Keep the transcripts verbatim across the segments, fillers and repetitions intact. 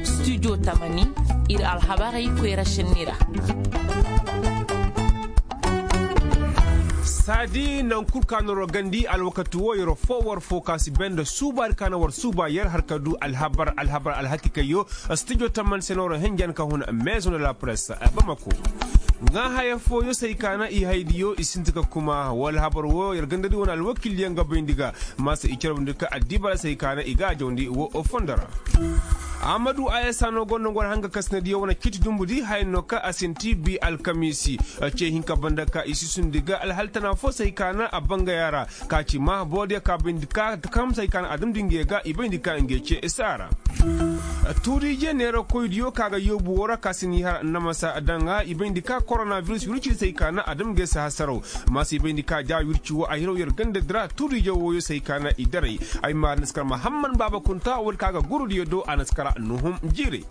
Studio tamani, ir alhabarey koyra šenni ra. Saadi naŋ kul ka no war gandi alwakati wo yer fo war fo ka si benda suuba ir ka no war suuba yer har ka du alhabar alhabar alhakikayyo. Studio tamani se no war henjan ka hun maison de la presse bamako. Ŋaa haya fooyo se ay ka na i haydiyo i sinti ka kuma wala habar wo yer gandadi wane alwakilyaŋ ga bayndi ga. Maasa i carabndi ka addiba ra se ay ka na i ga a jawndi wo fondo ra. Amadu ayasa no gonda ngor hanga kasinadiyo wane ciiti dumbudi haya no ka a sinti bi alkamiisi. Ce hinka banda ka i sisundi ga alhal tana fo se ay ka na a bangaya ra. Ka ci ma boodiyo ka bayndi ka kamsa ay ka na adamdi ngey ga i bayndi ka ngey ce saara. Tuuriije neerakoydiyo ka ga yoobu wo ra ka si ni har namasa daŋ ga i bayndi ka koronabiris wirci se ay ka na adamgey si hasaraw. Maasa i bayndi ka ja wirci wo a hiraw yer ganda dira tuuriije wooyo se ay ka na i daray. Ay ma naskar mahamman baaba kunta wala ka ga gurudiyo do a naskara nuhum jiiray.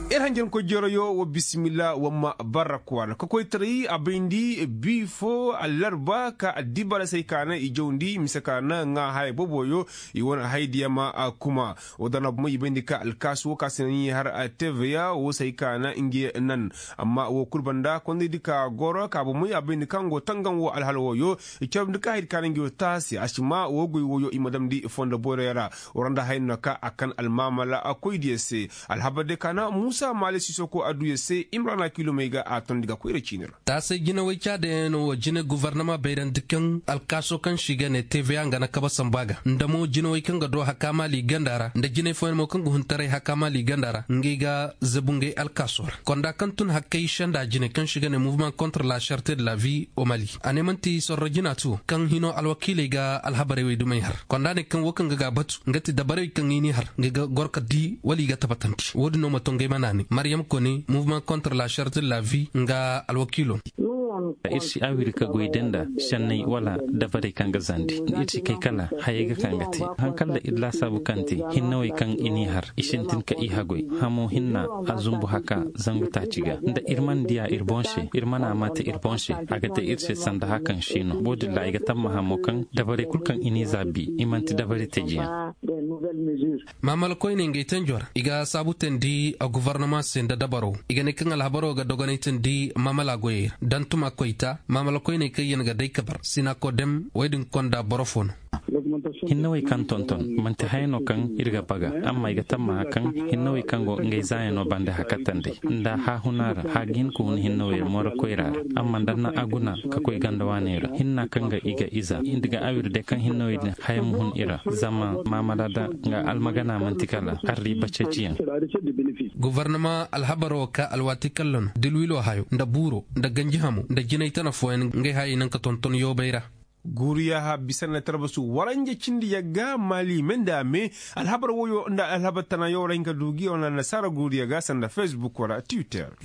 Ir hanjankoy jeroyo wa bisimilla wa ma barra kwaara ka koytaray a bayndi bi fo allarba ka addiba ra se ay ka na i jawndi mise ka na ŋaa haya boboyo. I wane haydiya ma a kuma. Wa dana bumey i bayndi ka alkaasu wo ka se na ni har a teveya wo se ay ka na nge nan. Amma wo kul banda kondaydi ka goro ka bumey a bayndi ka ngo tangaŋ wo alhala wooyo. I carabndi ka haydi ka na nge wo taasi a si ma wo goy wooyo i ma damndi fondo boyroya ra. War nda haya no ka a kan almaamala a koydiyo se. Alhabar de ka na muusa maale sisoko adduyo se imrana kilomey ga a tondi ga koyra ciini ra. Taasay jinawey caadayaŋ no wo jine gofornama bayrandi kaŋ alkaaso kaŋ se i ga ne teveya nga na kaba samba ga nda mo jinawey kaŋ ga do hakaama liiganda ra nda jinay fooyaŋ mo kaŋ ga hun taray hakaama liiganda ra ngey ga zabu ngey alkaaso ra. Konda kaŋ tun hakkey senda jine kaŋ se i ga ne muvement kontra la sarte de la vi o mali a ne man'ti sorro jina ti wo kaŋ hino alwakiiley ga alhabarey wey dumey har konda ne kaŋ wo kaŋ ga ga batu nga ti dabarey kaŋ i n'i har nga ga goro ka di wala i ga tabatandi wo-din no ma to ngey ma naanay maryam kone muvement kontra la sarte de la vi nga alwakiilo. Ir si awiri ka goy da nda senney wala dabarey kaŋ ga zandi ir si kay kala hayey ga ka nga te. Haŋ kala ir laasaabu kaŋ te hinnawey kaŋ i n'i har i sintin ka i hagoy hamo hinna a zumbu haka zangu taaci ga nda ir mana diya ir boŋ se ir mana a ma te ir boŋ se a ga te ir se sanda hakan se no wo-din ra ay ga tammaha mo kaŋ dabarey kul kaŋ i n'i zaabi i man'ti dabari tejiyaŋ. Maamala koyney ngey tanjo ra i ga saabu teendi gofornama se nda dabaro i ga ne kaŋ alhabaro ga dogonay teendi maamala goyey ra dantuma koyta maamala koyney kaŋ yaŋ ga day kabar sinakodem wey din konda boro fo no. Hinnawey kaŋ tonton man'ti haya no kaŋ ir ga baga amma i ga tammaha kaŋ hinnawey kaŋ go ngey zaayano bande hakatandey nda haahuna ra haaga hin ka hun hinnawey ra mooro koyra ra amma nda na a guna ka koy ganda waaney ra hinna kaŋ ga i ga iza nda ga awir day kaŋ hinnawey din haya ma hun i ra zama maamala da nga almagana man'ti kala arriiba ceeciyaŋ. Gofornama alhabaro ka alwaati kalla no dilwilo hayo nda buuro nda ganji hamo nda jinay tana fooyaŋ ngey hayey naŋ ka tonton yoobay ra. Guuriya ha bisa na tarbasu waranja cindi yagga mali me nda me. Alhabar woyo nda alhabar tana yo ra hinka du gi wana nasaara guuriya ga sanda facebook wala twitter.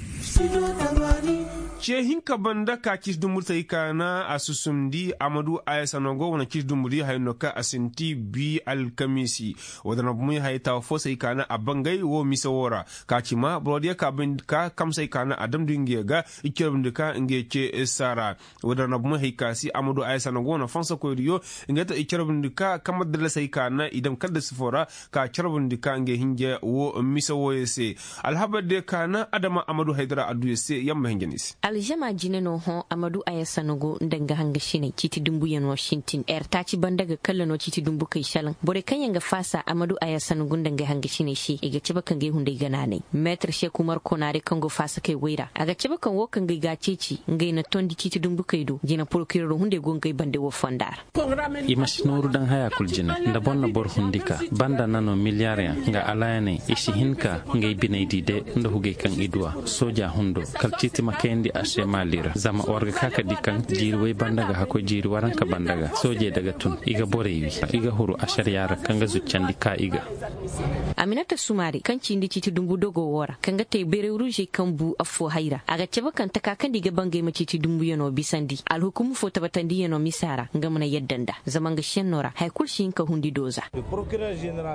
Ce hinka banda ka cisi dumbu tey ka na a susumndi amadu ayasano go wane cisi dumbu di haya no ka a sinti bi alkamiisi. Wadana bumey haya tawa fo sey ka na a bangay wo mise wo ra ka ci ma boro diya ka kamsay ka na a damndi ngiya ga. I carabndi ka ngiya ce saara. Wadana bumey hay ka si amadu ayasano go wane fansa koydiyo. Ngiya ta i carabndi ka kamar dallasay ka na i dam kaldasi fo ra ka carabndi ka ngiya hinja wo mise woyo se. Alhabar diya ka na adama amadu haydara adduya se yamma hinja ni se. Alžama jine no hõ amadu ayasano go nda nga hangasiney ciiti dumbuyaŋo sintin er taaci banda ga kalla no ciiti dumbukey salaŋ borey kaŋ yaŋ ga faasa amadu ayasano go nda nga hangasiney se i ga cabe ka ngey hunday ganaanay. Meetar seeku marko naarey kaŋ go faasakey woy ra a ga cabe kaŋ wo kaŋ ga ay ga a ceeci ngey na tondi ciiti dumbukey do jina porokirero hunday go ngey bande wo fonda ra. I ma si nooru daŋ haya kul jine nda boro na boro hundi ka banda na no miliyaryaŋ nga alaayaney i si hin ka ngey biney di de. Nda hugey kaŋ i duwa sooja hundo kala ciiti ma kayandi a se maali ra zama war ga ka ka di kaŋ jiiri way banda ga hakkoy jiiri waranka banda ga soojey da ga tun i ga borey wi i ga huru ašariya ra kaŋ ga zuccandi ka i ga. Aminata sumaari kaŋ cindi ciiti dumbu dogo wo ra kaŋ ga te beerey ruuzey kaŋ bu affo hay ra a ga cabe kaŋ taka kaŋ nda i ga bangay ma ciiti dumbuyano bisandi alhukumu fo tabatandiyano misa ra nga mana yadda nda zama nga šenno ra haya kul si hin ka hundi dooza.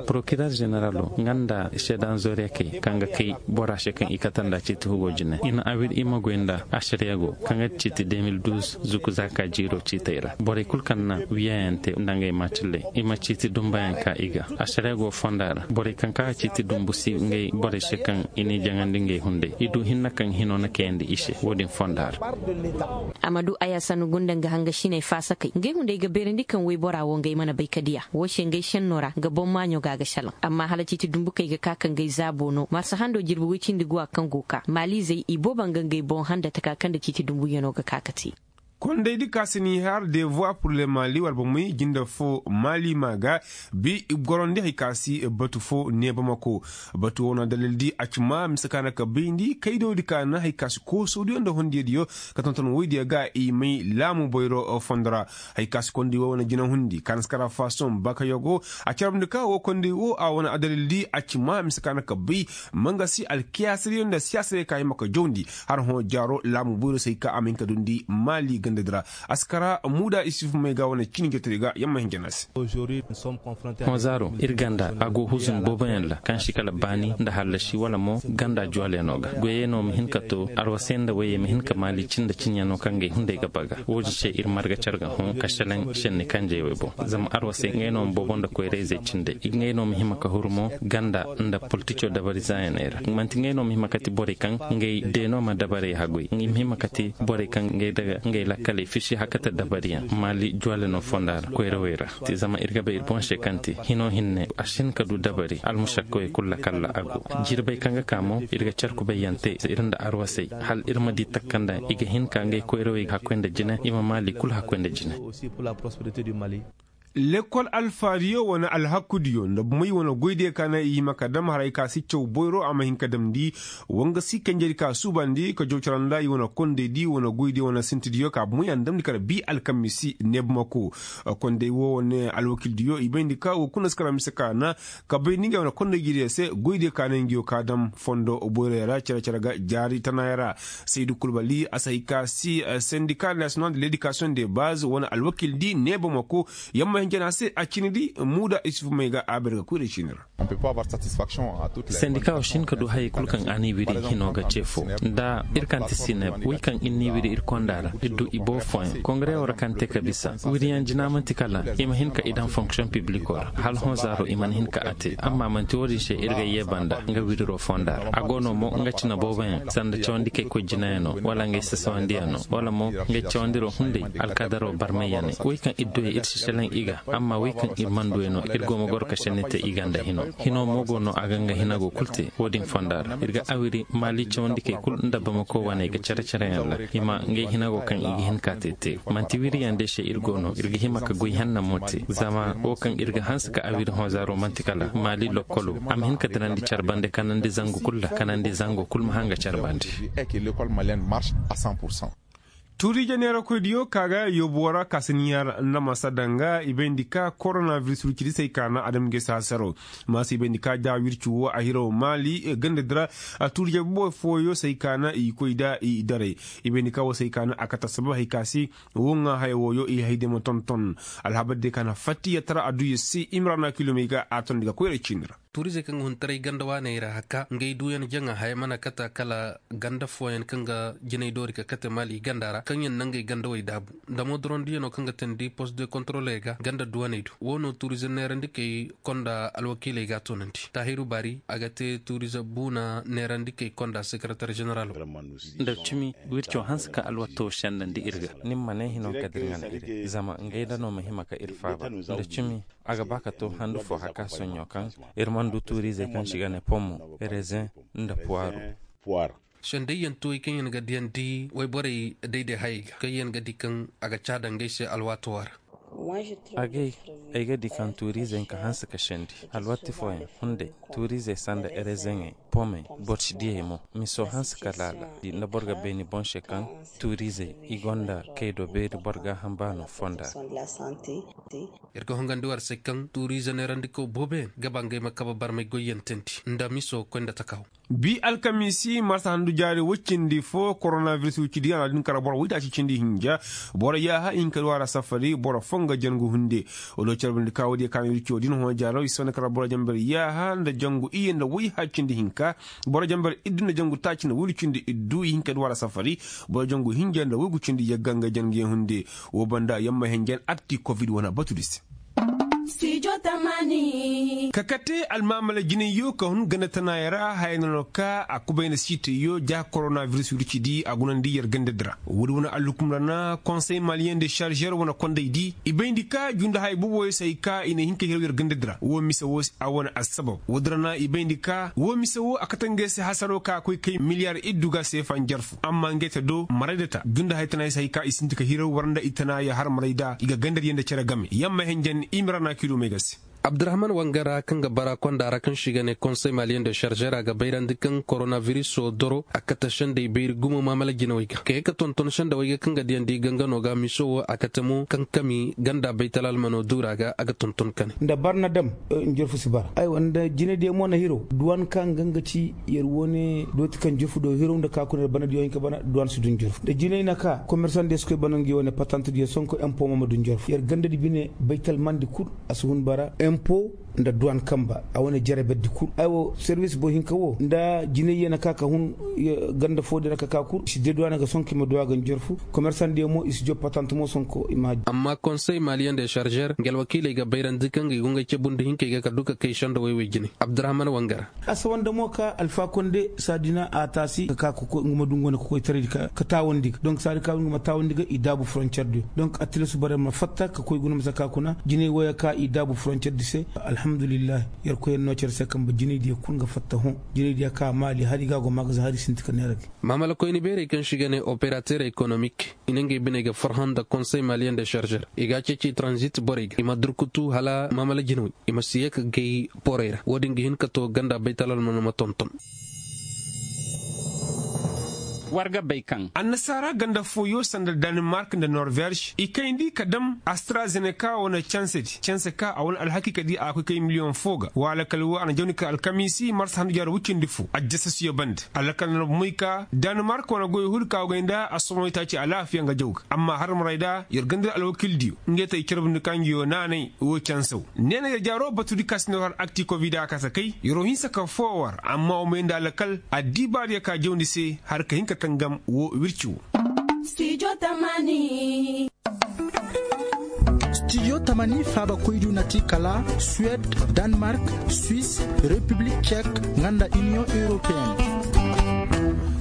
Porokirer ženeralo nga nda seedan zooriyakey kaŋ ga kay bora se kaŋ i kate nda ciiti hugo jine i na awir i ma goy nda. Ašariya go kaŋ ga ti ciiti deux mille douze zuku zaaka jiiro ciitey ra borey kul kaŋ na wiyayaŋ te nda ngey maacilley i ma ciiti dumbayaŋ ka i ga. Ašariya go fonda ra borey kaŋ ka ciiti dumbu si ngey borey se kaŋ i n'i jaŋandi ngey hunday i du hinne kaŋ hino na kayandi i se wo-din fonda ra. A ma du aya sannu gunda nga hangasiney faasakey ngey hunday ga beerandi kaŋ woybora wo ngey mana bay ka diya wo se ngey senno ra nga boŋ maaɲo ga a ga salaŋ amma hala ciiti dumbukey ga ka ka ngey zaabo no marsa hando jirbi woy cindi guwa kaŋ go ka maaliizey i booba nga ngey boŋ handa taka kaŋ nda ciiti dumbuyaŋo ga ka ka te. Kondaydi ka si n'i har de voix pour le mali wala bomey jinde fo mali ma ga bi gorandi hay ka si batu fo ne bamako. Batu wo na dalildi a ci ma mise ka na ka bayndi kaydoodi ka na hay ka si koosodiyo nda hondiyadiyo ka tonton woydiyo ga i may laamu boyro fondo ra. Hay ka si kondi wo wane jinahundi ka na si kara fason bakayogo a carabndi ka wo kondi wo a wane adalildi a ci ma mise ka na ka bay. Manga si alkiyaasadiyo nda siyaasadiyo ka hima ka jawndi har hõ jaaro laamu boyro se hay ka a ma hin ka dundi maali gandadi ra. A si kara muuda isuf may ga wane cini jotodi ga yamma hin jana se. Hõ zaaro ir ganda a go huzun booboyaŋ ra kaŋ si kala baani nda hallasi wala mo ganda juwalyaŋo ga goyey no ma hin ka to arwasey nda woyey ma hin ka maali cin nda cinyaŋo kaŋ gay hunday ga baga. Wo-din se ir marga car ga hõ ka selaŋ senni kanjey wey boŋ zama arwasey ngey no ma boobo nda koyra-izey cindey ngey no ma hima ka huru mo ganda nda politico dabari zaayaney ra manti ngey no ma hima kati borey kaŋ ngey deeno ma dabarey haguy i ma hima kati borey kaŋ ngey daga ngey lakkaley fisi hakata dabariyaŋ maali juwale no fonda ra koyrawey ra. Zama ir ga bay ir boŋ se kaŋ te hino hinne a si hin ka du dabari almusakkawey kul lakalla a go. Jirbey kaŋ ga ka mo ir ga car kubayyaŋ te ir nda arwasey hal ir ma di takkandaŋ i ga hin ka ngey koyrawey hakkoy nda jine i ma maali kul hakkoy nda jine. Lekkol alfaadiyo wane alhakudiyo nda bomey wane goydiyo ka na i hima ka dam haray ka si caw boyro a ma hin ka damndi. Wanga si kanjedi ka suubandi ka jaw cara nda i wane kondaydi wane goydiyo wane sintidiyo ka bomey a na damndi kala bi alkamisi neebamako. Konday wo wane alwakildiyo i bayndi ka wo kuna si kara mise ka na ka bayndi ngey wane konday jidiyo se goydiyo ka na ngiyo ka dam fondo boyroyo ra care care ga jaari tanayo ra. Saydu kulbali a si hay ka si sendika national de ledikasiyoŋ de baz wane alwakildi neebamako. Yamma hinjana se a cini di muuda isufu may ga a ber ga koy da cini ra. Sendika wo si hin ka du hayey kul kaŋ a n'i wiri hino ga ce fo nda ir kaŋ ti sineb wey kaŋ ir n'i wiri ir konda ra ir du i boo fooyaŋ kongare wo ra kaŋ te ka bisa wiriyaŋ jina manti kala i ma hin ka i daŋ fonksiyoŋ pibliko ra hala hõ zaaro i mana hin ka a te amma manti wo-din se ir ga yee banda nga wiriro fonda ra a go no mo nga cina booboyaŋ sanda cawandi kay koy jinayaŋo wala ngey sasawandiyaŋo wala mo ngey cawandiro hunday alkadaro barmayyaney wey kaŋ ir duya ir si selaŋ i ga amma wey kaŋ ir mana duya no ir go ma goro ka senni te i ganda hino. Hino mo go no a ga nga hinago kul te wo-din fonda ra ir ga awiri maali cawandikey kul nda bamako waney ga care careyaŋ ra i ma ngey hinago kaŋ i ga hin ka te te. Manti wiriyaŋ day se ir go no ir ga hima ka goy henna mo te zama wo kaŋ ir ga hanse ka awiri hõ zaaro manti kala maali lokkolo a ma hin ka dirandi care bande kanandi zangu kul ra kanandi zango kul ma hanga care bande. Tuuriije neerakoydiyo ka ga yoobuwo ra kaasiniya ra nda masa danga i bayndi ka koronaviris wircidi se ay ka na adamgey saasaro. Maasa i bayndi ka da wirci wo a hiraw maali gandadi ra. Tuuriije boboy fooyo se ay ka na i koy da i daray i bayndi ka wo se ay ka na a kate asabab hay ka se. Wo ŋaa haya wooyo i hayday ma tonton alhabar diyo ka na fattiya tara adduya se imrana kilomey ga a tondi ga koyra ciini ra. Tuurizey kaŋ ga hun taray ganda waaney ra haka ngey duuyaŋ jaŋa haya mana kata kala ganda fooyaŋ kaŋ ga jinay doori ka kate maali ganda ra kaŋ yaŋ na ngey gandawey daabu. Nda moodorondiyano kaŋ ga teendi post de kontroley ga ganda duwaney do wo no tuurize neerandikey konda alwakiiley ga a toonandi taahiru baari a ga te tuurize buuna neerandikey konda sekeretar ženeral. Nda cimi wirco hanse ka alwatto sendandi ir ga ni ma ne hino ka dirŋan iri zama ngey da no ma hima ka ir faaba nda cimi. A ga ba ka to handu fo haka soɲo kaŋ ir mana du tuuriizey kaŋ se i ga ne pomo rezen nda puwaaru. Sendayyaŋ tuwey kaŋ yaŋ ga diyandi wayborey dayday hayey ga kaŋ yaŋ ga di kaŋ a ga caada ngey se alwaato ra. Agay ay ga di kaŋ tuuriizey ka hanse ka sendi alwatti fooyaŋ hunday tuuriizey sanda erezeŋey pomey boro si diyey mo miso hanse ka laala di nda boro ga bay ni boŋ se kaŋ tuuriizey i gonda kaydo beeri boro ga hamba no fonda. Ir ga hongandi war se kaŋ tuuriize neerandiko booboyaŋ ga ba ngey ma kabe barmay goyyaŋ teendi nda miso koy nda takaw. Bi alkamiisi marsa handu jaari woy cindi fo koronabiris wicidi a na din kara boro woytaaci cindi hinja. Boro yaaha i hin ka du a ra safari boro fo nga jangu hunde. Wala carbundi ka woodiyo kaana wirciyo din hõ jaaro i si wane kara boro jambar yaaha nda jangu iyye nda woy ha cindi hinka. Boro jambar iddu nda jangu taaci nda woyru cindi iddu i hin ka du a ra safari. Boro jangu hinja nda woygu cindi yagga nga jangu ye hunde. Wo banda yamma henjen akti covid wane batudi se. Ka kate almaamala jinayyo ka hun ganda tanaayey ra haya na no ka a kubay nda siitayyo ja koronabiris wircidi a gunandi yer gandadi ra woodi wane alhukum ra na konsey maliyen de šarzer wane kondaydi i bayndi ka junda haya boboyo se hay ka i na hin ka hiraw yer gandadi ra woo mise woo se a wane assabab woodi ra na i bayndi ka woo mise woo a kate ngey se hasaro ka a koy kay miliyar iddu ga seefa njarfu amma ngey ta do marayda ta junda haya tanaayey se hay ka i sinti ka hiraw war nda i tanaaya har marayda i ga gandadiyo nda cere game yamma henjen i ma ra na kiidu may ga se. Abdurahman wangara kaŋ ga bara konda ra kaŋ se i ga ne konsey maliyen de šarzer a ga bayrandi kaŋ koronabiriso doro a kate sendey bayri gumo maamala jinawey ga ka ye ka tonton sendawey ga kaŋ ga diyandi gangano ga miso wo a kate mo kaŋ kami ganda baytal almano duura ga a ga tonton kane. Nda barna dam njorfu si bara aywa nda jinaydiyo mo na hiro duwan ka nga nga ci yer wo ne dooti kaŋ njorfu do hiro nda ka kuna yer barnadiyo hinka bana duwan si du njorfu nda jinay na ka komersandiyo si koy bana nga yo ne patantadiyo sonko empo mo ma du njorfu yer gandadi bine baytal mandi kul a si hun bara empo nda duwan kamba a wane jere berdi kul aywa serwis boro hinka wo nda jinayye na ka ka hun ganda fo din ra ka ka kul i si deduwane ga sonko i ma duwa ga njorfu komersandiyo mo i si job patant mo sonko i ma hajji amma konsey maliyen de šarzer nga alwakiiley ga bayrandi kaŋ ga i go ngey cabundi hinkey ga ka du ka kay sendawey wey jine abdurahman wangara a sawanda mo ka alfa konde saadi na a taasi ka ka nga ma du nga wane kokoytaraydi ka taawandi ga donk saadi ka nga ma taawandi ga i daabu foroncerdiyo donk a tilasu boro yer ma fatta ka koy guna masa ka kuna jinay woyo ka i daabu foroncerdi se alhamdulillahi yer koy yer no cere se kamba jinaydiyo kul nga fatta hõ jinaydiyo ka maali hari ga go magazin hari sinti ka neera ga maamala koyni beerey kaŋ se i ga ne operater ekonomik i na ngey biney ga farhã nda konsey maliyen de šarzer i ga a ceeci tranzit borey ga i ma durkutu hala maamala jinawey i ma si ye ka gay borey ra wo-din ga hin ka to ganda baytal almano ma tonton war ga bay kaŋ annasaara ganda fooyo sanda danimark nda norvez i kayndi ka dam astrazeneka wane cansedi canse ka a wane alhakiikadi a ga koy kay miliyoŋ fo ga wa alakal wo a na jawni ka alkamiisi marsa handu jaaro wuccindi fo ajjasasuyo banda alakal na bomoy ka danimark wane goy hul ka go gay nda a somoy taaci alaafiya nga jaw ga amma har maray da yer ganda alwakildiyo ngey ta i carbundi ka ngiyo naanay wo cansaw neena yer jaaro batudi ka si nda war har akti kovida ka si kay yeroo hinsa ka foo war amma wa may nda alakal addibaadiyo ka jawndi se har ka hin ka tangam wo wirci wo studio tamani faaba koydu na ti kala suwed, danmark, swis, repiblik cek, nga nda iniyoŋ europeyen.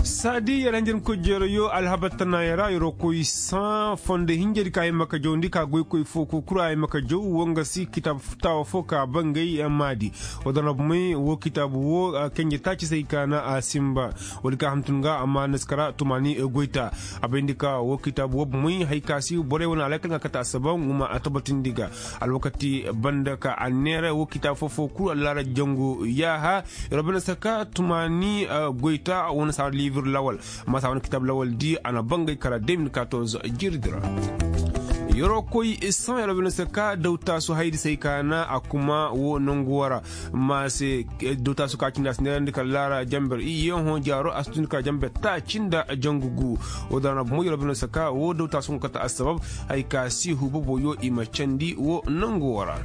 Saadi yer hanjarkoy jeero yo alhabar tanaaya ra yeroo koy saŋ fondo hinjadi ka ay ma ka jawndi ka goykoy foo kul kul ay ma ka jaw wo nga si kitaab taawa foo ka bangay maadi. Wo dana bumey wo kitaabu wo kenje taaci se ay ka na a sinba. Woodi ka hantum ga amma na si kara tumaani goyta. A bayndi ka wo kitaabu wo bumey hay ka si borey wane alakal ga kate a sababu nga ma a tabatindi ga. Alwakati banda ka a neera wo kitaabu foo foo kul allaara jangu yaaha. Yer wo banda si ka tumaani goyta wane saara liibir lawal. Amma saara wane kitaabu lawal di a na bangay kara deux mille quatorze jirdi ra. Yer wo koy saŋ yer wo banda si ka dawtaasu hayadi se ay ka na a kuma wo nangu wara. Ma se dawtaasu ka cindi a si neerandi kala laara jamber iyye hõ jaaro a si tun kala jamber taaci nda jangu gu. Wo daana bumo yer wo banda si ka wo dawtaasu nga kate assabab. Hay ka si huuba boyo i ma candi wo nangu wara.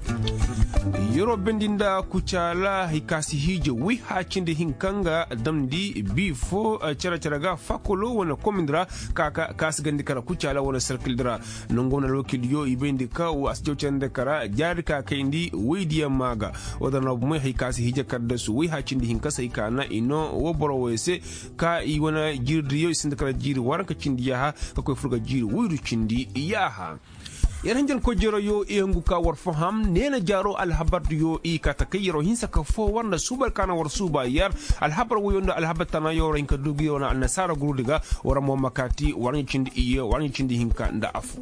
Yer wo bendi nda kucaala hay ka si hiije woy haacindi hinka nga damndi bi fo cere cere ga fakolo wane komindi ra. Ka ka si gandi kara kucaala wane serkildi ra. Nangu wane alwakildiyo i bayndi ka wo a si jaw cere nda kara jaari ka kayndi woydiyaŋ maa ga. Wo dana bumey hay ka si hiije kaddasu woy haacindi hinka se ay ka na i noo wo boro woy se. Ka i wane jiiridiyo i sinda kala jiiri waranka cindi yaaha ka koy fur ga jiiri woyru cindi yaaha. Yer hanjankoy jeroyo i hungu ka war faham neena jaaro alhabardiyo i ka takay yeroo hinsa ka foo war nda suuba ka na war suuba yer. Alhabar woyo nda alhabar tanayo ra hin ka du gi wane annasaara gurudi ga. War mo ma kaati war ɲa cindi iyye war ɲa cindi hinka nda affo.